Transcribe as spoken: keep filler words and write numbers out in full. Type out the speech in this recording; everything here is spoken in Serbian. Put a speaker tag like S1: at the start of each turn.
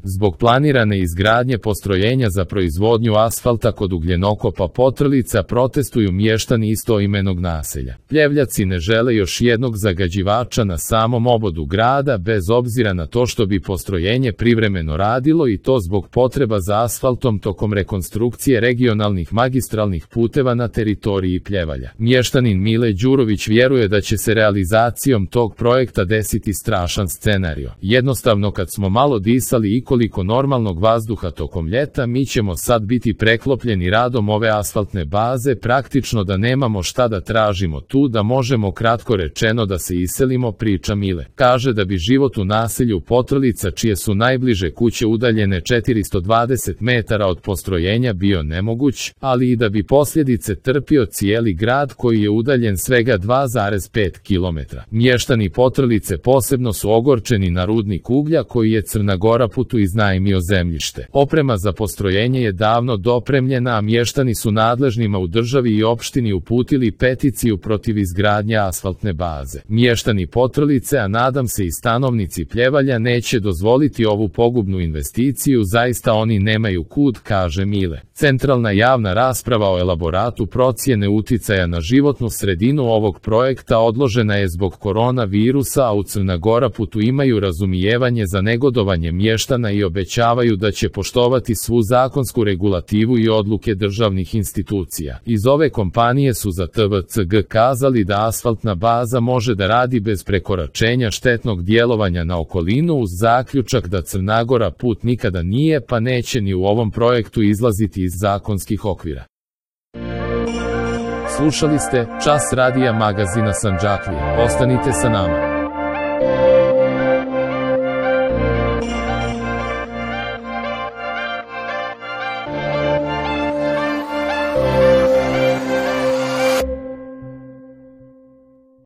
S1: Zbog planirane izgradnje postrojenja za proizvodnju asfalta kod Ugljenokopa Potrlica protestuju mještani istoimenog naselja. Pljevljaci ne žele još jednog zagađivača na samom obodu grada, bez obzira na to što bi postrojenje privremeno radilo, i to zbog potreba za asfaltom tokom rekonstrukcije regionalnih magistralnih puteva na teritoriji Pljevalja. Mještanin Mile Đurović vjeruje da će se realizacijom tog projekta desiti strašan scenario. Jednostavno, kad smo malo disali i koliko normalnog vazduha tokom ljeta, mi ćemo sad biti preklopljeni radom ove asfaltne baze, praktično da nemamo šta da tražimo tu, da možemo kratko rečeno da se iselimo, priča Mile. Kaže da bi život u naselju Potrlica, čije su najbliže kuće udaljene četiristo dvadeset metara od postrojenja, bio nemoguć, ali i da bi posljedice trpio cijeli grad koji je udaljen svega dva zarez pet kilometra. Mještani Potrlice posebno su ogorčeni na rudnik uglja koji je Crna Gora putu iznajmio zemljište. Oprema za postrojenje je davno dopremljena, a mještani su nadležnima u državi i opštini uputili peticiju protiv izgradnje asfaltne baze. Mještani Potrlice, a nadam se i stanovnici Pljevalja, neće dozvoliti ovu pogubnu investiciju, zaista oni nemaju kud, kaže Mile. Centralna javna rasprava o elaboratu procjene uticaja na životnu sredinu ovog projekta odložena je zbog koronavirusa, a u Crna Gora putu imaju razumijevanje za negodovanje mještana i obećavaju da će poštovati svu zakonsku regulativu i odluke državnih institucija. Iz ove kompanije su za T V C G kazali da asfaltna baza može da radi bez prekoračenja štetnog djelovanja na okolinu, uz zaključak da Crna Gora put nikada nije pa neće ni u ovom projektu izlaziti iz zakonskih okvira. Slušali ste Čas radija magazina Sandžaklije. Ostanite sa nama.